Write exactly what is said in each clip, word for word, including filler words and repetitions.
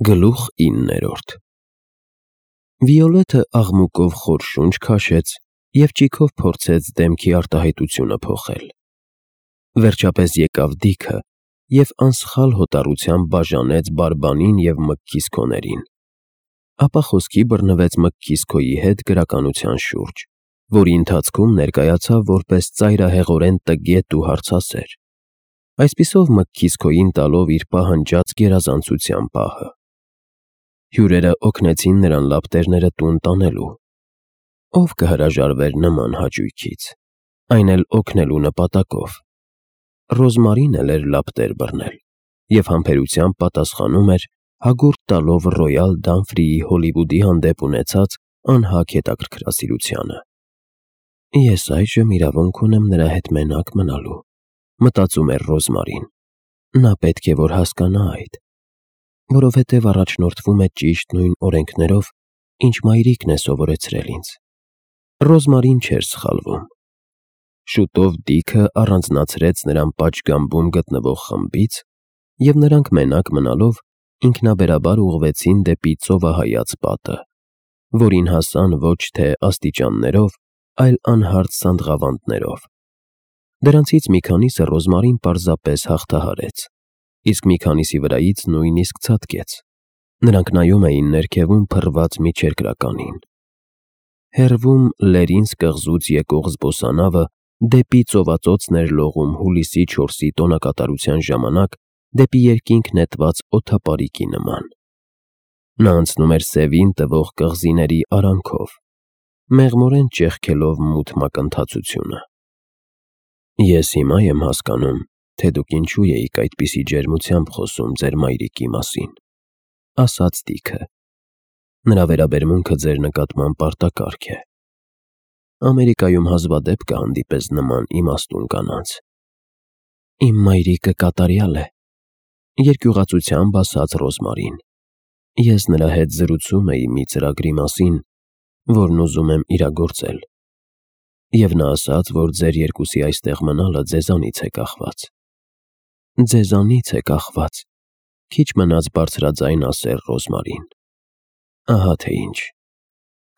Գլուխ իններորդ Վիոլետը աղմուկով խոր շունչ քաշեց և ճիգով փորձեց դեմքի արտահայտությունը փոխել։ Վերջապես եկավ Դիքը և անսխալ հոտառությամբ բաժանեց Բարբանին և Մկքիսքոներին, ապա խոսքի բռնվեց Մկքիսքոյի հետ գրականության շուրջ, որի ընթացքում ներկայացավ որպես ծայրահեղորեն տգետ ու հարցասեր, այսպիսով Մկքիսքոյին տալով իր պահանջած գերազանցության պահը։ Հյուրերը օգնեցին նրան լապտերները տուն տանելու։ Ո՞վ կհրաժարվեր նման հաճույքից, այն էլ օգնելու նպատակով։ Ռոզմարին էլ էր լապտեր բռնել և համբերությամբ պատասխանում էր, հագուրդ տալով Ռոյալ Դանֆրիի Հոլիվուդի հանդեպ ունեցած անհագ հետաքրքրասիրությանը։ «Ես այժմ իրավունք ունեմ նրա հետ մենակ մնալու», մտածում էր Ռոզմարին։ Նա պետք է որ հասկանա այդ, որովհետև առաջնորդվում է ճիշտ նույն օրենքներով, ինչ մայրիկն է սովորեցրել ինձ։ Ռոզմարին չէր սխալվում։ Շուտով Դիքը առանձնացրեց նրան պատշգամբում գտնվող խմբից, և նրանք մենակ մնալով ինքնաբերաբար ուղղվեցին դեպի ծովահայաց պատը, որին հասան ոչ թե աստիճաններով, այլ անհարթ սանդղավանդներով։ Դրանցից մի քանիսը Ռոզմարին պարզապես հաղթահարեց, իսկ մի քանիսի վրայից նույնիսկ ցատկեց։ Նրանք նայում էին ներքևում փռված միջերկրականին։ Հեռվում Լերինս կղզուց եկող զբոսանավը դեպի ծովածոցն էր լողում հուլիսի չորսի տոնակատարության ժամանակ դեպի երկինք նետված օդապարիկի նման։ Նա անցնում էր սևին տվող կղզիների արանքով, մեղմորեն ճեղքելով մութ մակընթացությունը։ «Ես հիմա եմ հասկանում, թե դուք ինչու էիք այդպիսի ջերմությամբ խոսում ձեր մայրիկի մասին», ասաց Դիքը։ «Նրա վերաբերմունքը ձեր նկատմամբ պարտակարգ է։ Ամերիկայում հազվադեպ կհանդիպես նման իմաստուն կանանց»։ «Իմ մայրիկը կատարյալ է», երկյուղացությամբ ասաց Ռոզմարին։ «Ես նրա հետ զրուցում էի մի ծրագրի մասին, որն ուզում եմ իրագործել, և նա ասաց, որ ձեր երկուսի այստեղ մնալը ձեզանից է կախված»։ «Ձեզանից է կախված», քիչ մնաց բարձրաձայն ասեր Ռոզմարին։ «Ահա թե ինչ։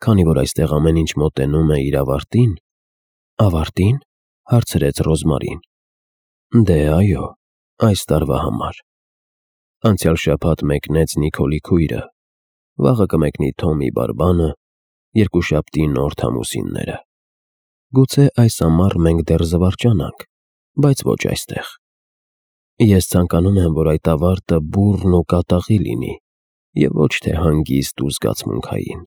Քանի որ այստեղ ամեն ինչ մոտենում է իր ավարտին»։ «Ավարտի՞ն», հարցրեց Ռոզմարին։ «Դե, այո, այս տարվա համար։ Անցյալ շաբաթ մեկնեց Նիկոլի քույրը, վաղը կմեկնի Թոմի Բարբանը, երկուշաբթի Նորթ ամուսինները։ Գուցե այս ամառ մենք դեռ զվարճանանք, բայց ոչ այստեղ։ Ես ցանկանում եմ, որ այդ ավարտը բուռն ու կատաղի լինի և ոչ թե հանգիստ ու զգացմունքային։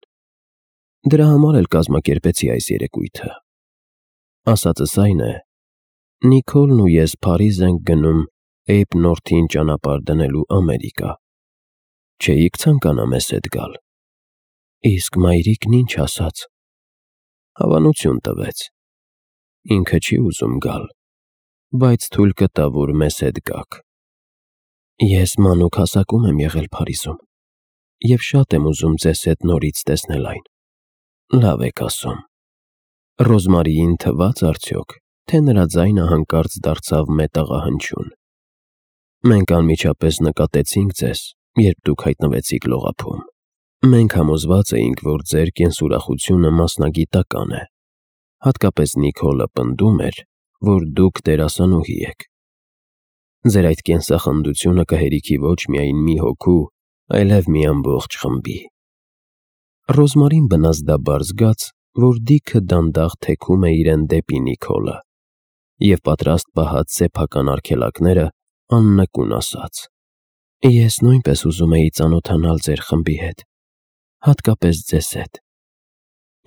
Դրա համար էլ կազմակերպեցի այս երեկույթը։ Ասածս այն է. Նիկոլն ու ես Փարիզ ենք գնում Էյբ Նորթին ճանապարհ դնելու Ամերիկա։ Չէի՞ք ցանկանա մեզ հետ գալ»։ «Իսկ մայրիկն ինչ ասաց»։ «Հավանություն տվեց։ Ինքը չի ուզում գալ, բայց թույլ կտա, որ մեզ հետ գաք»։ «Ես մանուկ հասակում եմ եղել Փարիզում և շատ եմ ուզում ձեզ հետ նորից տեսնել այն»։ «Լավ եք ասում»։ Ռոզմարիին թվաց արդյոք, թե նրա ձայնը հանկարծ դարձավ մետաղահնչյուն։ «Մենք անմիջապես նկատեցինք ձեզ, երբ դուք հայտնվեցիք լողափում։ Մենք համոզված էինք, որ ձեր կենսուրախությունը մասնագիտական է, հատկապես Նիկոլը պնդում էր, որ դուք դերասանուհի եք։ Ձեր այդ կենսախնդությունը կհերիքի ոչ միայն մի հոգու, այլև մի ամբողջ խմբի»։ Ռոզմարին բնազդաբար զգաց, որ Դիքը դանդաղ թեքում է իրեն դեպի Նիկոլը, և պատրաստ պահած սեփական արգելակները աննկուն ասաց. «Ես նույնպես ուզում էի ծանոթանալ ձեր խմբի հետ, հատկապես ձեզ հետ։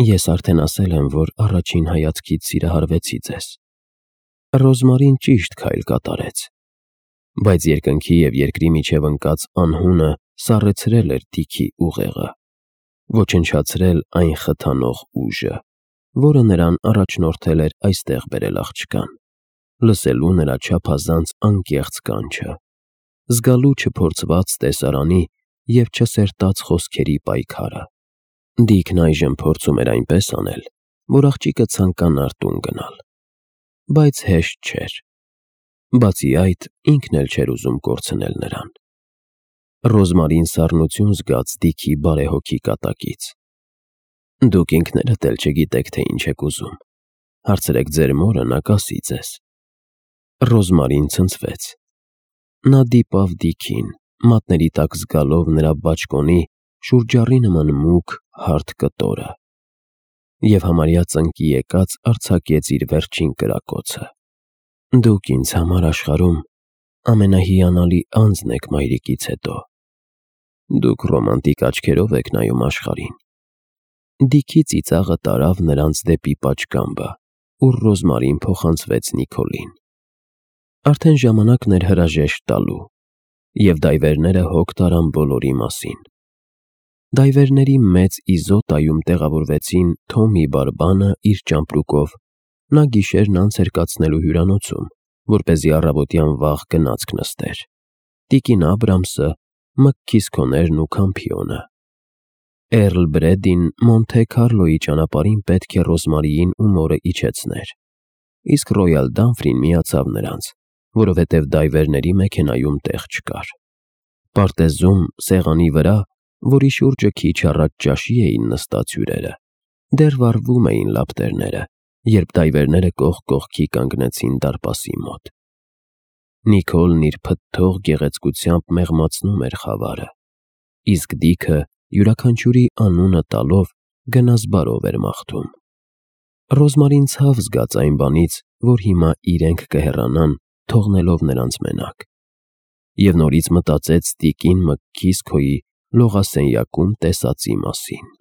Ես արդեն ասել եմ, որ առաջին հայացքից սիրահարվեցի ձեզ»։ Ռոզմարին ճիշտ քայլ կատարեց, բայց երկնքի և երկրի միջև ընկած անհունը սառեցրել էր Դիքի ուղեղը, ոչնչացրել այն խթանող ուժը, որը նրան առաջնորդել էր այստեղ բերել աղջկան, լսելու նրա չափազանց անկեղծ կանչը, զգալու չփորձված տեսարանի և չսերտած խոսքերի պայքարը։ Դիքն այժմ փորձում էր այնպես անել, որ աղջիկը ցանկանար տուն գնալ, բայց հեշտ չէր։ Բացի այդ, ինքն էլ չէր ուզում կորցնել նրան։ Ռոզմարին սառնություն զգաց Դիքի բարեհոգի կատակից։ «Դուք ինքներդ էլ չգիտեք, թե ինչ եք ուզում, հարցրեք ձեր մորը, նա կասի ձեզ»։ Ռոզմարին ցնցվեց։ Նա դիպավ Դիքին, մատների տակ զգալով նրա բաճկոնի շուրջառի նման մուգ, հարթ կտորը, և համարյա ծնկի եկած արձակեց իր վերջին կրակոցը։ «Դուք ինձ համար աշխարհում ամենահիանալի անձն եք մայրիկից հետո։ Դուք ռոմանտիկ աչքերով եք նայում աշխարհին»։ Դիքի ծիծաղը տարավ նրանց դեպի պատշգամբը, ուր Ռոզմարին փոխանցվեց Նիկոլին։ Արդեն ժամանակն էր հրաժեշտ տալու, և դայվերները հոգ տարան բոլորի մասին։ Դայվերների մեծ իզոտայում տեղավորվեցին Թոմի բարբանը իր ճամպրուկով, նա գիշերն անց էր կացնելու հյուրանոցում, որպեսզի առավոտյան վաղ գնացք նստեր, տիկին Աբրամսը, մկքիսքոներն ու Քամփիոնը։ Էռլ Բրեդին Մոնթե Քարլոյի ճանապարհին պետք է Ռոզմարիին ու մորը իջեցներ, իսկ Ռոյալ Դանֆրին միացավ նրանց, որովհետև դայվերների մեքենայում տեղ չկար։ Պարտեզում, սեղանի վրա, որի շուրջը քիչ առաջ ճաշի էին նստած հյուրերը, դեռ վառվում էին լապտերները, երբ դայվերները կողք կողքի կանգնեցին դարպասի մոտ։ Նիկոլն իր փթթող գեղեցկությամբ մեղմացնում էր խավարը, իսկ Դիքը յուրաքանչյուրի անունը տալով գնազբարով էր մաղթում։ Ռոզմարին ցավ զգաց այն բանից, որ հիմա իրենք կհեռանան, թողնելով նրանց մենակ, և նորից մտածեց տիկին Մկքիսքոյի լողասենյակում տեսածի մասին։